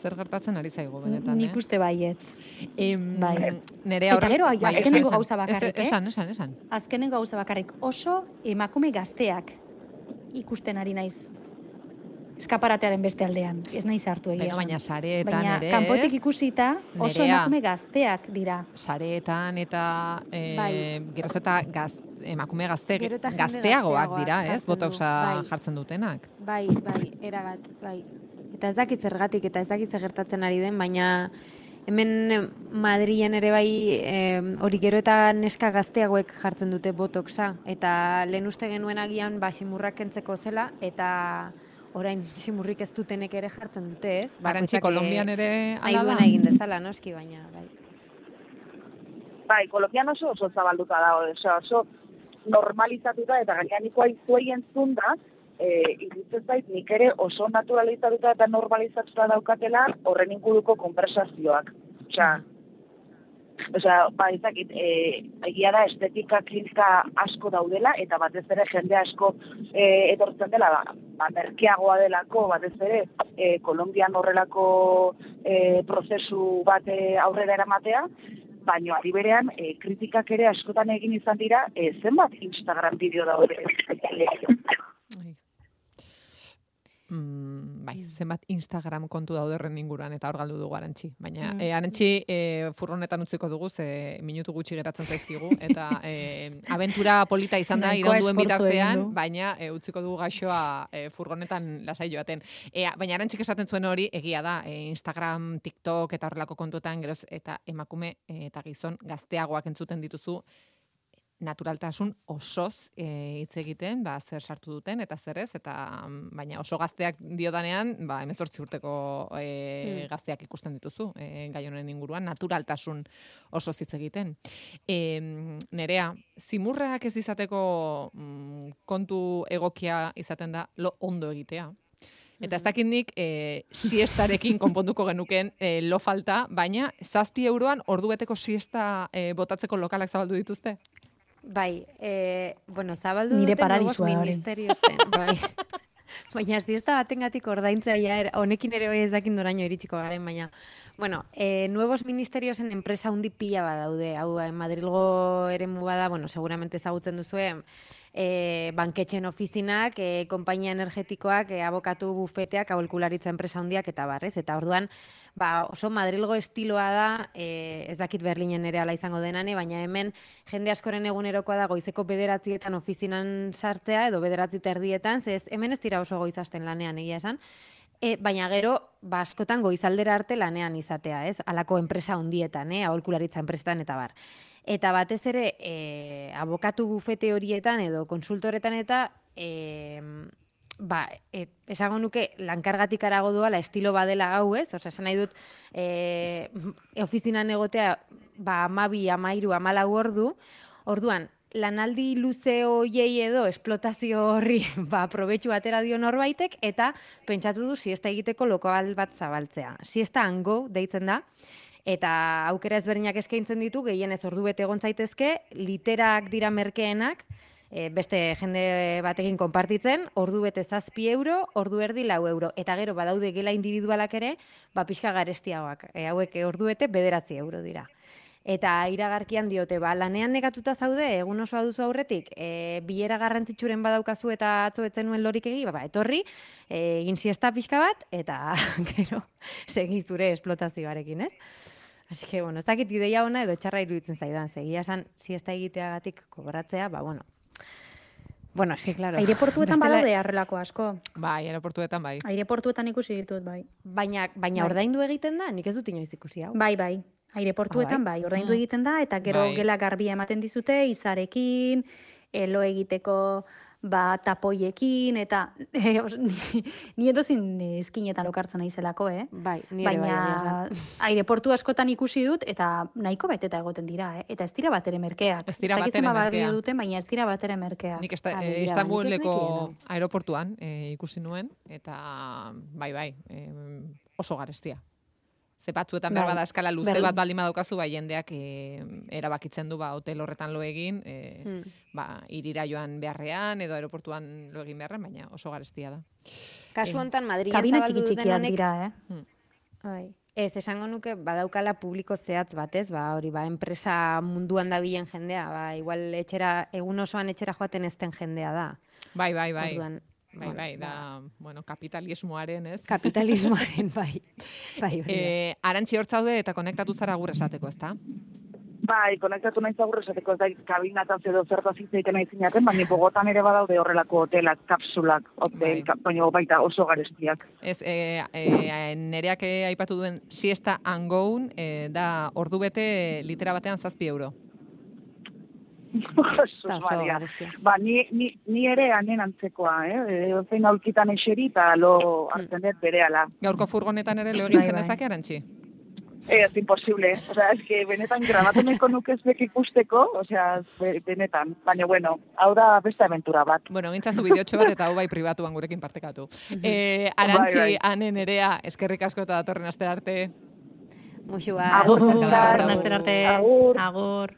S1: Zer gertatzen ari zaigu, benetan,
S2: nik uste baietz.
S1: Em,
S2: bai.
S1: Nerea
S2: eta gero,
S1: bai,
S2: azkenengo gauza bakarrik, eh?
S1: Esan, esan, esan.
S2: Azkenengo gauza bakarrik. Oso emakume gazteak ikusten ari naiz. Eskaparatearen beste aldean. Ez naiz hartu egia.
S1: Baina sareetan
S2: baina,
S1: ere...
S2: Baina kanpotik ikusita oso nerea, emakume gazteak dira.
S1: Sareetan eta... Eh,
S3: bai.
S1: Geroz eta gaz, emakume gazte, gazteagoak dira, ez? Botoxa bai. jartzen dutenak.
S3: Bai, bai, erabat, bai. Eta ez dakit zergatik, eta ez dakit zer gertatzen ari den, baina hemen Madrilen ere bai hori gero eta neska gazteagoek jartzen dute botoxa. Eta lehen uste genuen agian ba, simurrak kentzeko zela, eta... orain simurrik ez dutenek ere jartzen dute, ez?
S1: Arantxi, Kolombian ere ala da?
S3: Nahi egin dezala, noski, baina, bai.
S5: Bai, Kolombian oso oso zabalduta dago, oso, oso normalizatuta, eta gainean nikoa izuei entzun da, e, iruditzen zait, nik ere oso naturalizatuta eta normalizatuta daukatela horren inguruko konversazioak. Osea, Osea, ba, ezakit, e, egia da estetika klinika asko daudela, eta batez ere jende asko e, etortzen dela, ba, ba, merkeagoa delako, batez ere, e, Kolombian horrelako e, prozesu bat e, aurrera eramatea, baina ari berean, e, kritikak ere askotan egin izan dira, e, zenbat Instagram bideo daude.
S1: Mm, bai, zenbat Instagram kontu dauderren inguruan eta hor galdu dugu Arantxi. Baina, mm. e, Arantxi, e, furronetan utziko dugu, ze minutu gutxi geratzen zaizkigu, eta e, abentura polita izan da iraunduen bitartean, baina e, utziko dugu gaixoa e, furronetan lasai joaten. E, baina Arantxik esaten zuen hori, egia da, e, Instagram, TikTok eta horrelako kontuetan, geroz, eta emakume e, eta gizon gazteagoak entzuten dituzu, naturaltasun osoz hitz e, egiten, ba, zer sartu duten eta zer ez, eta baina oso gazteak diodanean, ba, hemezortzi urteko e, hmm. gazteak ikusten dituzu, e, gai honen inguruan, naturaltasun osoz hitz egiten. E, Nerea, zimurrak ez izateko mm, kontu egokia izaten da lo ondo egitea. Eta ez dakit nik e, siestarekin konponduko genuken e, lo falta, baina zazpi euroan ordubeteko siesta e, botatzeko lokalak zabaldu dituzte?
S3: Bai, e, bueno, zabaldu
S2: nire
S3: duten nuevos
S2: paradisua,
S3: ministerios zen, bai. Baina ziesta batengatik ordaintzea ja, honekin ere bai ez dakin doraino iritsiko garen, baina, bueno, e, nuevos ministeriosen enpresa hundi pila badaude, hau, Madrilgo eremu bada, bueno, seguramente ezagutzen duzue, e, banketxen ofizinak, e, konpainia energetikoak, e, abokatu bufeteak, aholkularitza enpresa hundiak eta barrez, eta orduan, ba, oso Madrilgo estiloa da, e, ez dakit Berlinen ere ala izango denane, baina hemen jende askoren egunerokoa da goizeko bederatzietan ofizinan sartzea, edo bederatzi terdietan, ze ez, hemen ez dira oso goizasten lanean egia esan, e, baina gero, ba, askotan goizaldera arte lanean izatea, ez? Halako enpresa hundietan, eh? Aholkularitza enpresetan eta bar. Eta batez ere, e, abokatu bufete horietan edo konsultoretan eta e, ba, e, esango nuke lankargatik arago doala estilo badela hau, ez? Osea, esan nahi dut, e, ofizinan egotea, ba, amabi, amairu, amalau ordu, orduan, lanaldi luze hoiei edo esplotazio horri ba, probetxu atera dio norbaitek, eta pentsatu du siesta egiteko lokal bat zabaltzea. Siesta hango deitzen da, eta aukera ezberdinak eskaintzen ditu, gehienez ordu bete egon zaitezke, literak dira merkeenak, E, beste jende batekin konpartitzen, ordu bete zazpi euro, ordu erdi lau euro. Eta gero, badaude gela individualak ere, ba, pixka garestiagoak. E, hauek ordu bete bederatzi euro dira. Eta iragarkian diote, ba, lanean negatuta zaude, egun oso duzu aurretik, e, bilera garrantzitsuren badaukazu eta atzo etzen nuen lorik egi, ba, etorri, e, egin siesta pixka bat, eta gero, segi zure esplotazioarekin, ez? Así que, bueno, ez dakit ideia ona edo txarra iruditzen zaidan, zegia esan siesta egiteagatik kobratzea, ba, bueno, Bueno, sí, claro.
S2: Aireportuetan Bestela... badaude arrelako asko.
S1: Bai, aireportuetan bai.
S2: Aireportuetan ikusi ditut, bai.
S3: Baina, baina bai. Ordaindu egiten da, nik ez dut inoiz ikusi hau.
S2: Bai, bai. Aireportuetan bai, bai. Ordaindu egiten da, eta gero bai. Gela garbia ematen dizute, izarekin, e, lo egiteko ba, tapoiekin, eta e, os, ni, ni edozin eskinetan lokartzen naizelako, eh?
S3: Bai, nire bai,
S2: baina aireportu askotan ikusi dut, eta nahiko beteta egoten dira, eh? Eta ez dira batere merkeak.
S1: Ez dira batere
S2: zenbat
S1: merkeak.
S2: balio duten, baina ez dira batere merkeak.
S1: Nik esta,
S3: Ah,
S1: eh,
S3: begira,
S1: Istanbuleko
S3: nik ez nekien,
S1: aeroportuan eh, ikusi nuen, eta bai, bai, eh, oso garestia. Ze batzuetan behar
S2: Bai,
S1: bada eskala luze
S2: ber-
S1: bat baldin badaukazu, bai jendeak eh, erabakitzen du ba, hotel horretan lo egin, eh,
S3: Hmm.
S1: ba, irira joan beharrean edo aeroportuan lo egin beharrean, baina oso garestia da.
S3: Kasu honetan, Madrilen
S2: Kabina
S3: zabaldu
S2: txiki
S3: duten
S2: txikiak
S3: honek,
S2: dira, eh?
S3: bai. Ez, esango nuke badaukala publiko zehatz batez, ba, hori, ba, enpresa munduan dabilen jendea, ba, igual etxera, egun osoan etxera joaten ezten jendea da.
S1: Bai, bai, bai.
S3: Orduan,
S1: Bai,
S3: bueno,
S1: bai, da, bueno, kapitalismoaren, ez?
S3: kapitalismoaren, bai. Bai, hori da.
S1: Eh, Arantxi hor zaude eta konektatu zara gur esateko, ezta?
S5: Bai, konektatu nahi zagur esateko ez da kabinataz edo zertaz hitz egiten nahi zinaten, baina Bogotan ere badaude horrelako hotelak, kapsulak, hotel,
S1: Bai.
S5: baina baita oso garestiak.
S1: Ez, e, e, nereak eh, aipatu duen siesta angoun, e, da ordu bete litera batean zazpi euro.
S5: Jesus
S3: Eta oso
S5: Maria.
S3: garestia.
S5: Ba, ni, ni, ni ere anen antzekoa, eh? Zein aulkitan eseri eta lo hartzen dut berehala.
S1: Gaurko furgonetan ere lo egin
S2: Bai, bai.
S1: zenezake, Arantxi?
S5: Eh, es imposible. O sea, es que benetan grabatu nahiko nuke ez bek ikusteko, o sea, be- benetan. Baina, bueno, hau da beste aventura bat.
S1: Bueno, gintzazu bideotxo bat eta hau bai pribatuan gurekin partekatu. e, Arantxi,
S5: Bai, bai.
S1: Ane, Nerea, eskerrik asko eta datorren astera arte.
S3: Muxu bat.
S5: Agur,
S2: Datorren
S5: Agur.
S2: astera arte.
S5: Agur.
S2: Agur.